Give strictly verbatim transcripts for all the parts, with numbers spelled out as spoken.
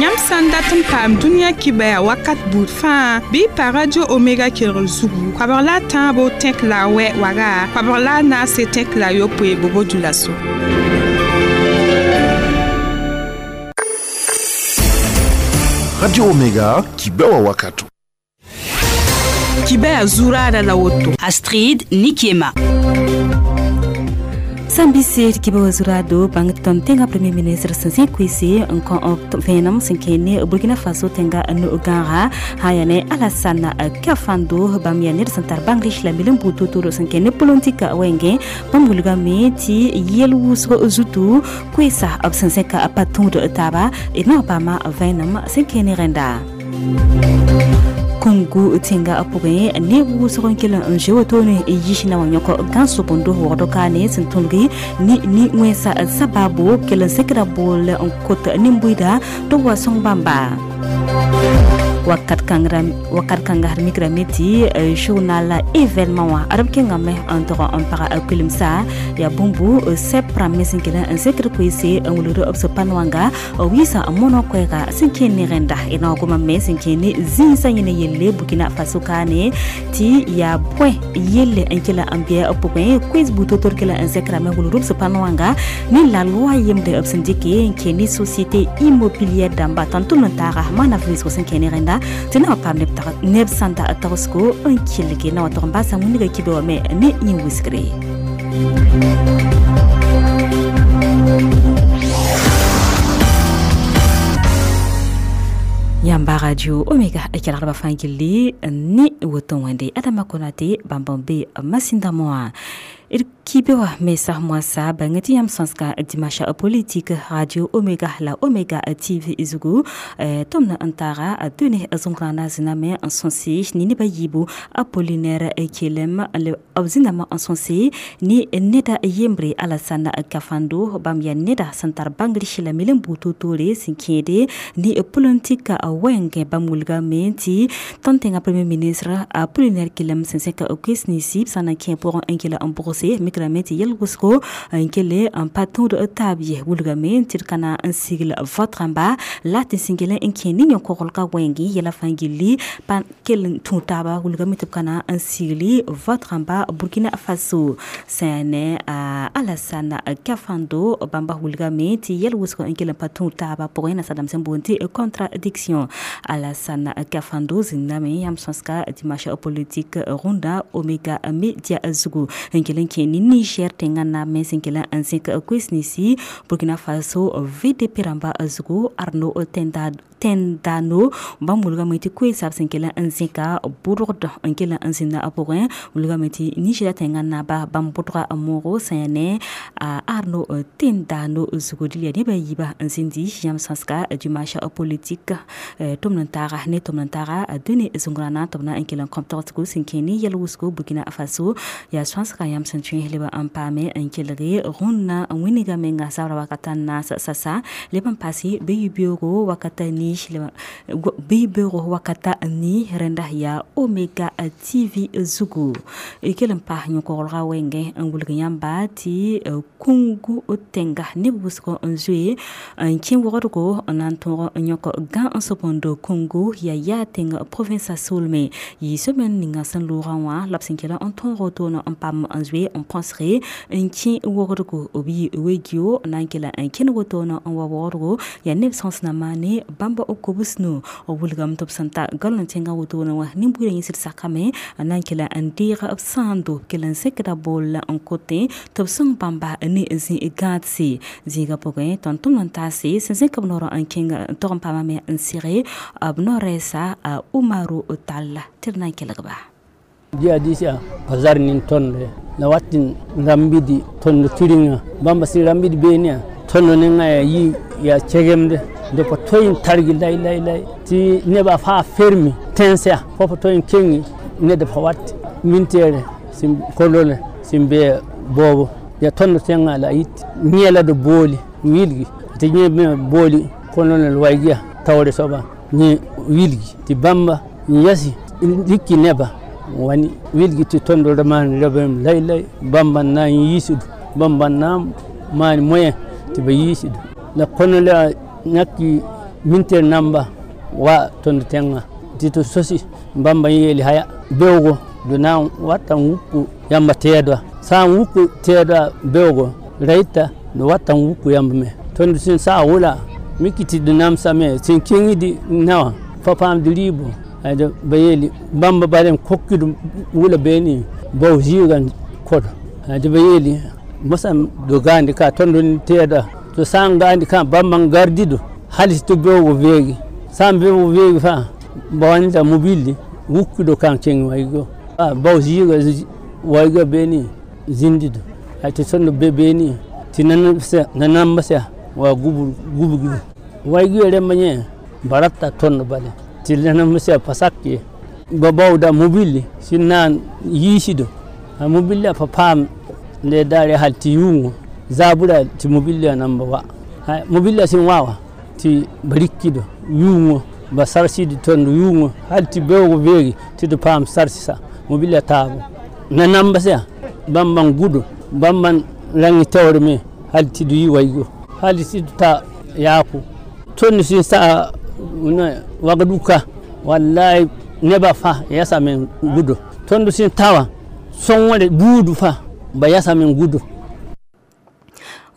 Yãmb sã n dat n paam dũniyã kibaya wakat buud fãa bɩ y pa Radio Omega kelgr zugu koabg la a tãabo tẽk la a wɛ waga koabg la a naase tẽk la a yopoe bobo dulaso. Radio Omega kibewa wakato. Kibaya zurada la woto. Astrid Nikiema. Sambise kiba zurado bang ton tenga premier ministre Sansin Kwesi nkon venam sinkene Burkina Faso tenga no gara hayane Alassane Kafando bam ya ner santar Bangladesh la milim butu turo sinkene politika wenge bam me ti yel wusgo zutu kwesa ab Sansin ka patun de taba e no bama venam sinkene renda Kungu tinga apuge ne wusgo kila njewo tone yishina wanyoko ganso bondo wodo kane sintulgi ni ni wesa sababu kila sekra bol nkot nimbuida to wasong bamba wakat kangra wakat kanga mikra meti journal événement wa arab kenga me entre en para kulimsa ya bumbu sepra mesinkela en sekre kwese nguluro obso panwanga wisa mono kwega sinkene renda ina goma me sinkene zinsa yene yelle Burkina Faso kane ti ya point yelle enkela ambia opokwe quiz buto torkela en sekra me nguluro obso panwanga ni la loi yemde obsindike nkeni société immobilière damba tantu ntara mana visko sinkene renda tena pam neb neb santa atasko un kilge na wato ba samu ni kibe me ne yin wiskre Yamba Radio Omega ekelarba fangili ni woton wende Adama Konate bambambe masinda moa kibewa mesa mwasa bangati yam sanska dimasha politique Radio Omega la Omega T V izugu tomna antara dune zongrana ziname ansonsi ni ne bayibu Apollinaire Kelem le abzinama ansonsi ni neda yembre Alassane Kafando bamya neda santar Bangladesh la milembu totore sinkede ni politique wenge bamulga menti tantenga premier ministre Apollinaire Kelem senseka okesnisi sana kempo enkela ambrose mikrameti yelgusko nkele un patron de tabiye wulgame tirkana un sigle votre amba la tinsingele nkeni nyokorolka wengi yela fangili pan kel tuntaba wulgame tirkana un sigle votre amba Burkina Faso sene Alassane Kafando bamba wulgame ti yelgusko nkele patron taba pour ina sadam sembonti contradiction Alassane Kafando ziname yam sanska dimanche politique ronda Omega Media zugu nkele nkeni Niger tenga na mesinkela ansik kwesnisi Burkina Faso V D P ramba zugu Arno Tenda Tendano bamulga meti kwesa sinkela ansika burd nkela ansina aporin mulga meti Niger tenga na ba bambudra moro sene Arno Tendano zugu dilia ne bayiba ansindi yam sanska dimanche politique tomnantara ne tomnantara dene zungrana tomna nkela compteur ko sinkeni yelwusko Burkina Faso ya sanska yam santun leba ampame nkelere runa winiga menga sabra wakata na sasa leba pasi beyubiro wakata ni leba beyubiro wakata ni renda ya Omega T V zugu ikelen pa nyokorra wenge ngulga yamba ti kungu otenga nebusko nzue nkin worodgo nanto nyoko gan nsopondo Congo ya ya tenga province Solme yi semaine ninga san Laurent lapsinkela anton rotona ampam nzue on penserait nkin worodgo obi wegio nankela nkin wotona on worodgo ya neuf na mane bamba okobusno obulgam top santa galon tenga wotona wa nimbure yisir sakame nankela ndira sando kelan sekra bol en côté top song bamba ni zi gatsi ziga poge tonton ntasi sense kabnoro nkinga torom pama me nsire abnoresa Umaru Talla tirnan kelgba jihadisia bazar nin tonne na watin rambidi tonno tiringa bamba si rambidi benia tonno ninga yi ya chegemde de po toyin targi lay lay lay ti neba fa fermi tensia fofo toyin kengi ne de fawat mintere sim kolone simbe bobo ya tonno tenga la yit nyela de boli wilgi ti nyebe boli kolone waygia tawre soba ni wilgi ti bamba yasi dikki neba wani wilgi ti tondo man rabem lay lay bamba na yisudu bamba na man moyen ti ba yisudu la kono la nyaki Minter namba wa tõnd tẽngã tɩ tɩ sosi bãmba n yeele haya beoogo d na n wata n wuk yãmba tɛɛdwa sã n wuk tɛɛdwa beoogo ra yɩta d wata n wuk yãmb me tõnd sẽn saa wʋla miki tɩ d namsame sẽn kẽngd naowã pa paamd rɩɩbo ba yeele bãmba bala n kokd wʋla beene bao zɩɩgã kod tɩ ba yeele mosã do gaande ka tõnd n tɛɛda tɩ sã n gaande kã bãmba n gardido hal tɩ beoogo veege sã n beoog veege fãa ba wa neda mobilli wukdo kãng kẽng waigo bao zɩɩgã waiga beene zĩndido tɩ tõnd be beene tɩ nanamba sã wa gubgdo waigã rẽmba yẽ ba rata tõnd bale tɩ nanamba sã pa sak ye ba baooda mobilli sẽn na n yiisdo a mobillã pa paam le daare hal tɩ yʋʋngõ zaabra tɩ mobillã namba wa mobillã sẽn wa wã tɩ ba rikdo yʋʋngõ ba sarsd tõnd yʋʋngõ hal tɩ beoog veege tɩ d paam sarsã mobillã taabo nanamba sã bãmba n gʋdo bãmba n rãng taoor me hal tɩ d yɩ waigo hal tɩ d ta yaako tõnd sẽn saa wagduka wallahi neba fãa yasame n gʋdo tõnd sẽn ta wã sõngre buud fãa ba yasame n gʋdo.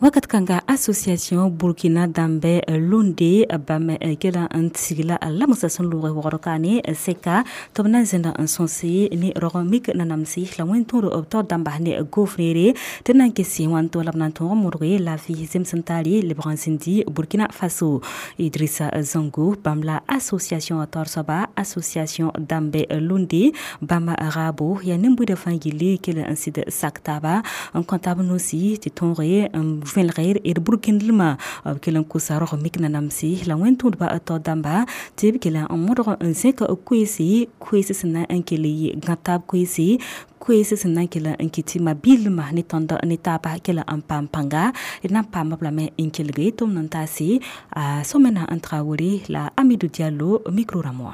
Wakat kanga association Burkina Dambe Lunde bam kela n tigla la musa sẽn lʋg wogr kaane sɛka tɩ b na n zẽnda n sõse ne rog mik nanamse la wẽn tõod b taoor dãmba ne gofrere tɩ na n kese wãn to la b na n tõog n modge laafɩ zems n taare lebg n zĩndi Burkina Faso. Idrissa Zongo bãmb la association taoor soaba association Dambe Lunde bãmb raabo yaa nin-buidã fãa gilli kell n sɩd sak taaba n kõ taab nosi tɩ tõoge n vẽlgr d burkindlmã b kell n kosa rog mik nanamse la wẽn tõodba taoor dãmba tɩ b kell n modg n zẽk koeese koees sẽn na n kell yɩ gãb taab koeese koees sẽn na n kell n kɩ tɩ ma-biilmã ne tõnd ne taaba kell n paam pãnga d na n paama b lame n kelge tʋm n taase a Somena n Traoré la Amidou Diallo micro rãmb wã.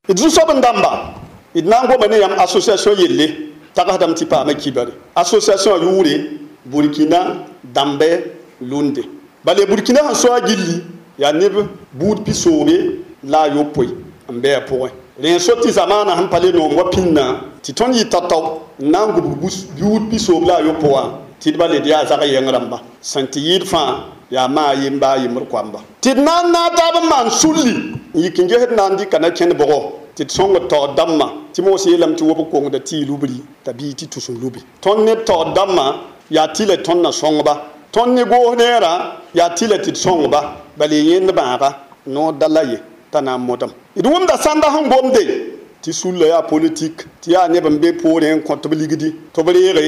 D zu-soab n dãmba d na n goma ne yãmb association yelle tagsdame tɩ paama kibare association yʋʋre Burkina Dambe Lunde bale Burkina sẽn so a gilli yaa neb buud pi-soobe la a yopoe n bɩ a pʋgẽ rẽ n so tɩ zamaanã sẽn pa le noom wa pĩnnã tɩ tõnd yɩ tao-tao n na n gubg buud pi-soob la a yopo wã tɩ d ba led yaa zag yɛng rãmba sẽn tɩ yɩɩd fãa yaa maa yemba a yembr koamba tɩ d na n naag taab n maan sulli n yik n gesd na n dɩka na kẽnd bʋgɔ tɩ d sõngd taoor dãmbã tɩ moos yeelame tɩ wob kongda tɩ y lubri t'a bii tɩ tus n lubi tõnd neb taoor dãmbã yaa tɩ la tõnd na sõngba tõnd ne goos neerã yaa tɩ la tɩ d sõngba bala yẽnd bãaga noor da la ye t'a na n modem d wʋmda sãnda sẽn gomde tɩ sulla yaa politik tɩ yaa neb n be poorẽ n kõ tɩ b ligdi tɩ b reege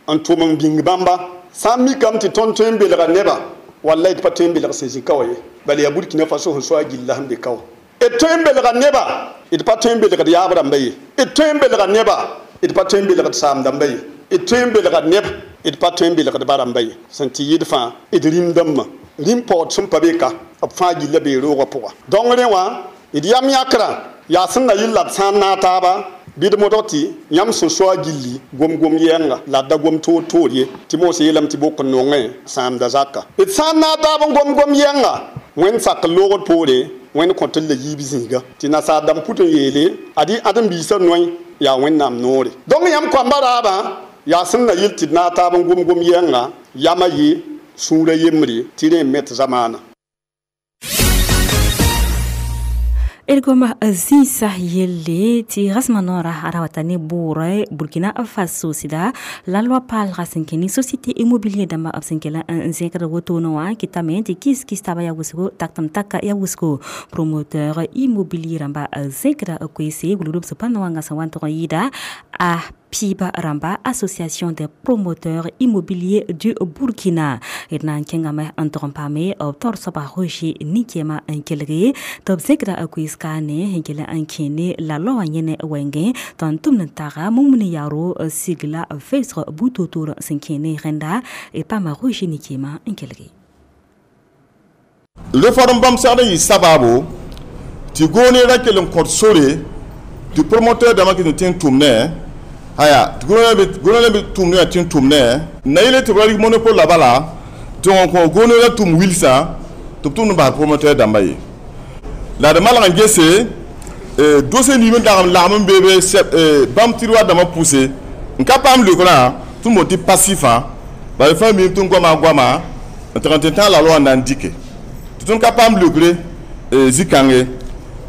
n tʋm n bĩng bãmba sã n mikame tɩ tõnd tõe n belga neba wallay d pa tõe n belg sẽn zĩ ka wa ye bala yaa Burkina Faso sẽn so a gilla sẽn be ka wã d tõe n belga neba d pa tõe n belgd yaab rãmba ye d tõe n belga neba d pa tõe n belgd saam dãmba ye d tõe n belga neb d pa tõe n belgd ba rãmba ye sẽn tɩ yɩd fãa d rĩm dãmbã rĩm paood sẽn pa be ka b fãa gilla bee roogã pʋga donc rẽ wã d yam yãkrã yaa sẽn na yɩl la d sã n naag taaba bɩ d modg tɩ yãmb sẽn so a gilli gom-gom yɛɛnga la d da gom toor toor ye tɩ moos yeelame tɩ bok n nongẽ sãamda zaka d sã n naag taab n gom-gom yɛɛnga wẽnd sak loogd poore wẽnd kõ tɩ la yiib zĩiga tɩ nasaar dãmb put n yeele ad-y ãdem-biisã noẽ yaa wẽnnaam noore donc yãmb koamba raabã yaa sẽn na yɩl tɩ d naag taab n gom-gom yɛɛnga yamã yɩ sũurã yembre tɩ rẽ n met zamaana. Ergoma zĩnsã yelle tɩ rasmã noorã ra wata ne bʋʋrã Burkina Faso sɩda la loi paalgã sẽn kẽ ne société immobilier dãmbã b sẽn kell n zẽkd wotone wã kɩtame tɩ kis-kis taaba yaa wʋsgo taktem taka yaa wʋsgo promoteur immobilier rãmba zẽkda koeese wilg sẽn pa wãngã sẽn wa n tʋg n yɩɩda a Piba Ramba, Association des promoteurs immobiliers du Burkina. D na n kẽngame n tʋg n paame b taoor soaba Roger Nikiema n kelge tɩ b zẽkda koees kaane sẽn kell n kẽ ne la loi wã yẽne wɛngẽ tɩ n tʋmd n taga mumuni yaaro sigla vɛɛsg bu-toor-toor sẽn kẽ ne rẽnda d paama Roger Nikiema n kelge. Réforme bãmb segd n yɩ sabaabo tɩ goone ra kell n kõt sore tɩ promoteur dãmbã kɩt n tẽ n tʋm ne aya tɩ goone be tʋmd yaa tẽ n tʋm ne na yele tɩ b ra rɩk monopole la bala tɩ wã kõ goone ra tʋm wilsã tɩ b tʋmd n bas promoteur dãmba ye la d malg n gese dossier nim n dag n lagm n beebe bãmb tiroir dãmbã pʋse n ka paam leokrã tɩ m boond tɩ passifã bala fãa miime tɩ n goama goama n tɩg n tɩ tãag la loi n na n dike tɩ tõnd ka paam leokre zĩ-kãnge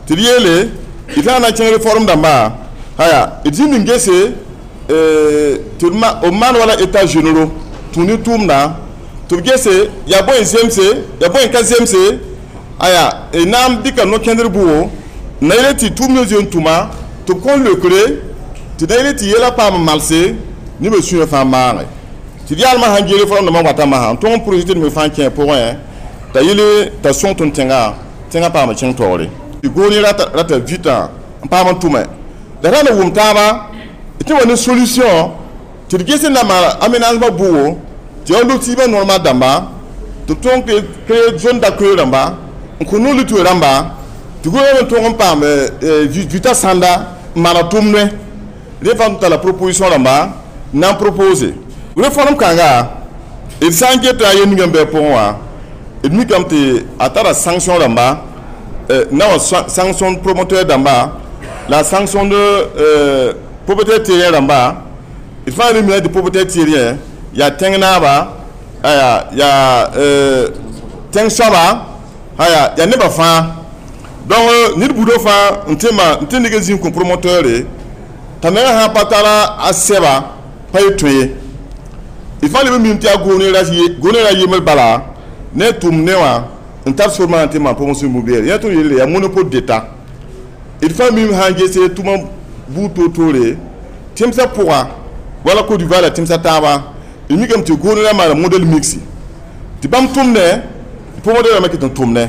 tɩ d yeele d tãag na n kẽng réforme dãmba aya d zĩnd n gese tɩ b maan wala état généraux tũ ne tʋʋmdã tɩ b gese yaa bõe n zemse yaa bõe n ka zemse aya na n dɩka no-kẽndr bʋgo na yele tɩ tʋʋm ne zoe n tʋma tɩ b kõn leokre tɩ na yele tɩ yɛla paam n malse nebã sũyã fãa maage tɩ d yaalmã sãn gee réforme dãmbã watame sã n tõg n projet me fãa kẽ pʋgẽ t'a yele t'a sõng tõnd tẽnga tẽngã paama kẽng taoore tɩ goone rata rata vita n paam n tʋme la ra na wʋm taaba tɩ wa ne solution tɩ d ges n na maan aménagement bʋgo tɩ yaa lotissement normal dãmba tɩ b tõog créer zone d'accueil rãmba n kõ no-luto rãmba tɩ gʋlg n tõog n paam vita sãnda n maana tʋmdẽ rẽ fãa tɩ tara proposition rãmba n na n propose réforme kãnga d sã n geta a yel ninga n bɩ a pʋgẽ wã d mikame tɩ a tara sanction rãmba na wa sanction promoteur dãmba la sanction de propriétaire terrien rãmba d fãa re mina tɩ propriétaire terrien yaa tẽng naaba aya yaa tẽng soaba aya yaa nebã fãa donc ned buudã fãa n tɩ ma n tɩ neg n zĩig kõ promoteur t'a menga sã pa tara a sɛba pa ye tõe ye d fãa leb n mim tɩ yaa goone ra yembr bala ne tʋm ne wã n tar sor maana tɩ maan promotion immobilière yã tõnd yelle yaa monopole d'état d fãa mim sã n gese tʋma buud toor-toore tẽmsã pʋga wala Côte d'Ivoire la tẽmsã taaba d mikame tɩ goone ra maana modèle mixte tɩ bãmb tʋmdẽ promoteur rãmbã ket n tʋmdẽ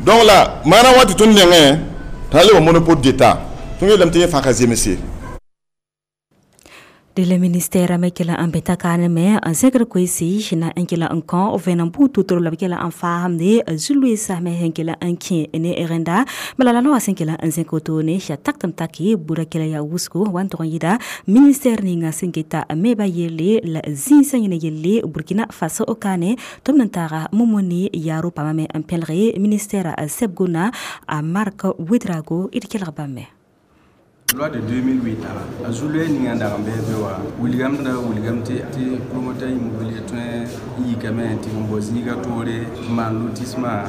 donc la maana wa tɩ tõnd nengẽ t'a le wa monopole d'état tõnd yeelame tɩ yẽ fãa ka zemse. De la ministère me kela an beta kane me an zegre kwesi na en kela an kan of en butu tro la kela an faham de zulu sa me hen kela an kin ne erenda malala no asen kela an zenkoto ne ya taktam taki bura kela ya wusko wan to yida ministère ni nga sengeta me ba yele la zinsa ne yele Burkina Faso okane tom nan tara momoni yaro pamame an pelre ministère sebgona a Marc Ouedraogo irkela bame. Loi de deux mille huit a zulu ninga dag n bɩ be wa wilgame da wilgame tɩ tɩ promoteur immobilier tõe n yikame tɩ n bao zĩiga toore n maan lotissement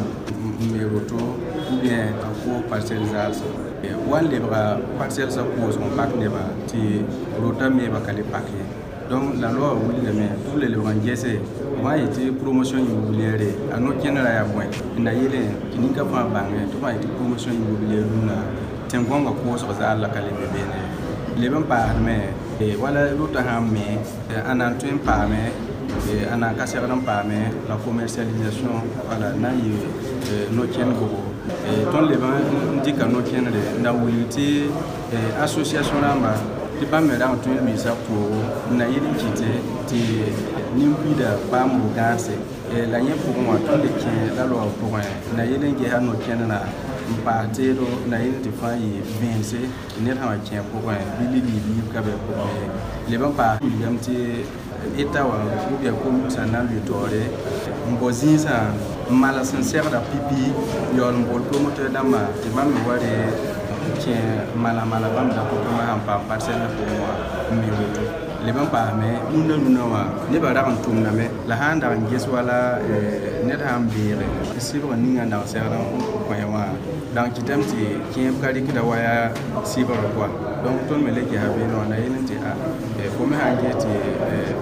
n me woto ou bien a ko parcelle zaalsã wa n lebga parcelle sã koosg n pak nebã tɩ rota meeba ka le pak ye. Donc la loi wilgame tɩ b le lebg n gese b sã yetɩ promotion immobilière a no-kẽnerã yaa bõe n na yeelẽ tɩ ninka fãa bãnge tɩ b sã yetɩ promotion immobilière rũnã tẽn-gõngã koosg zaal la ka le be beene leb n paasdme wala rota sã n me ãnna n tõe n paame ãnna n ka segd n paame la commercialisation wala na n yɩ no-kẽnd gogo tõnd leb n dɩka no-kẽndre n da wilg tɩ association rãmba tɩ bãmb me rag n tõe n luiisa poogo n na yɩl n kɩte tɩ nin-buiida paam bu-gãase la yẽ pʋgẽ wã tõnd le kẽ la loa pʋgẽ n na yɩl n gesa no-kẽndrã n paas teedo na yɩl tɩ fãa yɩ vẽense tɩ ned sã wa kẽ pʋgẽ bɩ libliib ka bɩ pʋgẽ ye leb n paas wilgame tɩ État wã ou bien commune sã n na n lʋɩ taoore n bao zĩisã n mals n segda pipi yaool n bool promoteur dãmbã tɩ bãmb me wa re kẽ mala mala bãmb dakotõngã sãn paam parcelle pʋgẽ wã n me woto leb n paasme rũndã rũndã wã nebã rag n tʋmdame la sã n dag n ges wala ned sã n beege sɩbg ninga n dag segd n kõ wã dag kɩtame tɩ kẽeb ka rɩkda wa yaa sɩbgr koa. Donc tõnd me le gesa beene wã na yel n tɩ a fo me sã n ges tɩ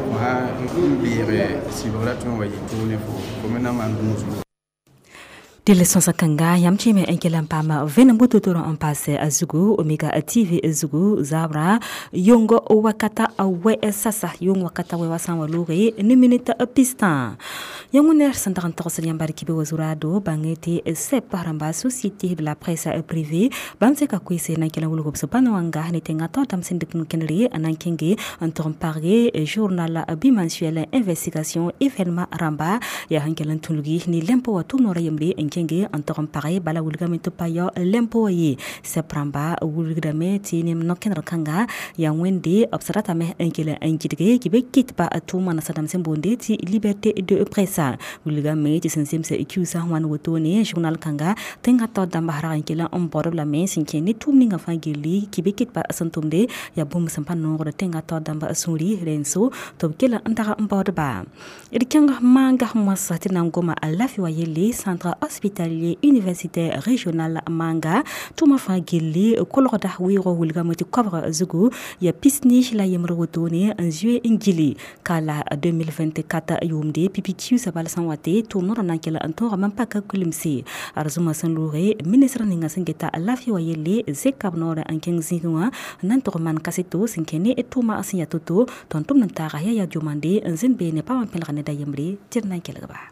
fo sã n beege sɩbgrã tõe n wa yɩ toog ne fo fo me na maan gũusgo. Dɩl sõsa kãnga yãmb kẽeme n kell n paama vẽenem butotoro n paas a zugu Omega T V zugu zabrã yʋng wakata wɛ sasa yʋng wakata wɛ wa sã n wa looge ne minit pistã yãmb wẽnnaar sẽn dag n togsd yãmb bark be wa zurado bãng tɩ S E P rãmba, Société de la presse privée, bãmb seka koeese na n kell n wilg b sẽn wãnga ne tẽngã tao tãmb sẽn dɩk n kẽndre n na n kẽnge n tog n pagge journal bimensuel investigation événement rãmba yaa sẽn kell n tũlgi ne lempo wa tʋm noorã yembre n. kẽnge n tog n page bala wilgame tɩ pa yao lempo ye sɛb rãmba wilgdame tɩ nem no-kẽndr kãnga yaa wẽnde b sã ratame n kell n gɩdge tɩ be kɩt pa tʋʋma nasadãmb sẽn boonde tɩ liberté de presse wilgame tɩ sẽn zemsa kiusa wãn wotone journal kãnga tẽngã taoor dãmba rag n kell n baood b lame sẽn kẽ ne tʋʋm ninga fãa gilli kɩ be kɩt pa sẽn tʋmde yaa bũmb sẽn pa noogd tẽngã taoor dãmba sũuri rẽn-so tɩ b kell n tag n baoodba d kẽng maanga moasã tɩ na n goma a lafi wa yelle centre hospitalier universitaire régional manga tʋʋmã fãa gilli kolgda weoogã wilgame tɩ koabg zugu yaa pisni la yembr wotone n zoe n gili ka la deux mille vingt-quatre yʋʋmde pipi kiusa bal sẽn wa tɩ tʋʋm noorã na n kell n tõogame n paka kulemse arzũma sẽn looge ministr ninga sẽn geta lafi wa yelle zeka b noorã n kẽng zĩigẽ wã n na n tog n maan kaseto sẽn kẽ ne tʋʋma sẽn yaa to-to tɩ n tʋmd n taaga yaa yaa diomande n zĩnd beene pa wã pẽlg ned a yembre tɩ d na n kelgba.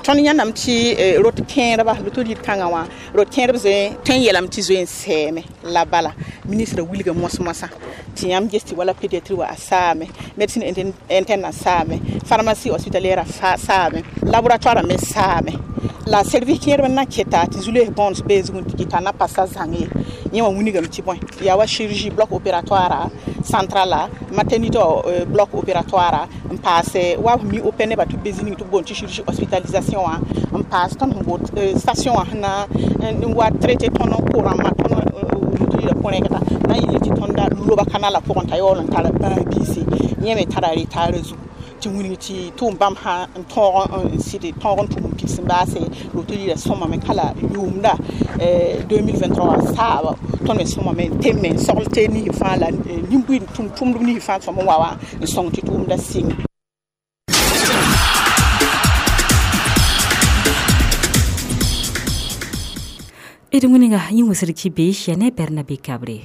Tõnd yãndame tɩ rot kẽedba loto lir kãngã wã rot kẽedb zoe tõe n yeelame tɩ zoe n sɛɛme la bala ministrã wilga moas-moasã tɩ yãmb ges tɩ wala pédiatrie wa a saame médecine interne a saame pharmacie hospitalière a saame laboratoire me saame la service kẽedb n na keta tɩ zu-loees bõond bee zugẽ tɩ kɩta na pasa zãng ye yẽ wã wilgame tɩ bõe yaa wa chirurgie bloc opératoire central maternité bloc opératoire n paase wa mi open neba tɩ be zĩ ning tɩ b boond tɩ chirurgie hospitalisation wã n paas tõnd sẽn boot station wã sẽn na n wa traité tõnd n ko-rãmbã tõnd loto põ-rẽgda na n yeel tɩ tõnda loba kanala pʋgẽ t'a yaool n tara bãag-biise yẽ me tara retard zugu tɩ wilg tɩ tʋʋm bãmb sã n tõog n sɩd tõog n tʋm n pids n baase loto lira sõmame ka la yʋʋmda deux mille vingt-trois saaba tõnd me sõmame n teme n sogl tee nis fãa la nin-buiid tʋmtʋmdb nis fãa sõm n wa wã n sõng tɩ tʋʋmda sɩng. D wĩnga yẽ wʋsd kibe ya ne Bernabe Kabre.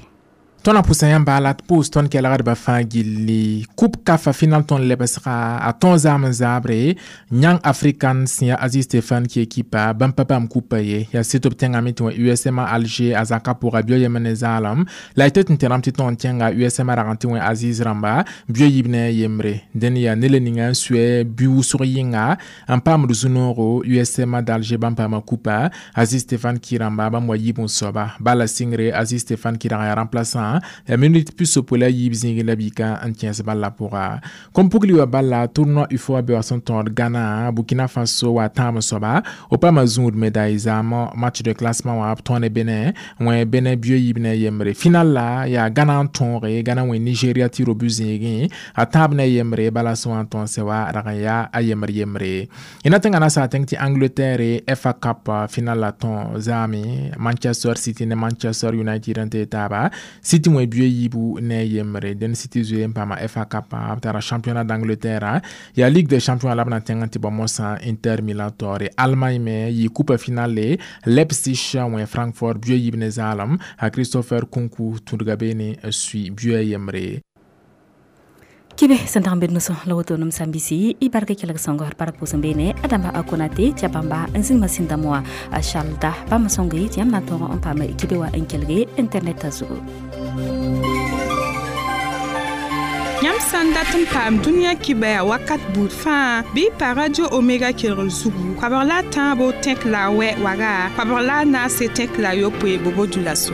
Tõnd na pʋsa yãmba la tɩ pʋʋs tõnd kelgdbã fãa gilli coupe CAF final tõnd lebsga a tõog zaam n zaabre yãng african sẽn yaa Aziz Stéphane ki ekipa bãmb pa bãmb kupa ye yaa sɩd b tẽngame tɩ wã U S M A Alger a zakã pʋga bio yem ne zaalem la y tɩ tɩ tẽrame tɩ tõog n kẽnga U S M A rag n tɩ wẽ Aziz rãmba bio yiib ne a yembre dẽn yaa ned ninga n sʋɛ bi wʋsg yɩnga n paamd zu-noogo U S M A d'Alger bãmb paama kupa Aziz Stéphane ki rãmba bãmb wa yiib n soaba bala sɩngre Aziz Stéphane ki rag yaa remplaçant ya minute pis pola yiib zĩigẽ la bika n kẽes bala pʋga kom pugli wa bala tournoi UFOA be wa sẽn tõod Ghana Burkina Faso wa tãab n soaba o paama zũud médaille zaam match de classement wã b tõo ne Benin wẽ Benin bio yiib ne a yembre final la yaa Ghana n tõoge Ghana wẽ Nigeria tɩ ro-bu zĩigẽ a tãab ne a yembre bala sã wã n tõog sɛ wa rag n yaa a yembr yembre y na tẽngã na saa tẽng tɩ Angleterre F A Cup final la tõo zaame Manchester City ne Manchester United n tee taaba City wẽ bio yiibu ne yembre den City zoe n paama F A Cup b tara championnat d'Angleterre yaa Ligue des champions la b na tẽng n tɩ bao mosã Inter Milan taoore Allemagne me yɩ coupe finale Leipzig wẽ Francfort bio yiib ne zaalem a Christopher Nkunku tũudga beene n sui bio a yembre. Kibe sẽn dag n bed noso la woto nem sãn-bisi y bark kelg sõngo d bark pʋʋs n beene Adama a Konate tɩ a bãmba n zĩnd masĩndame wã a Charles bãmb sõnge tɩ yãmb na n tõog n paam kibe wã n kelge internet zugu. Yãmb sã n dat n paam dũniyã kibã yaa wakat buud fãa bɩ y pa radio Omega kelgr zugu koabg la a tãabo tẽk la a wɛ waga koabg la a naase tẽk la a yopoe bobo dula-so.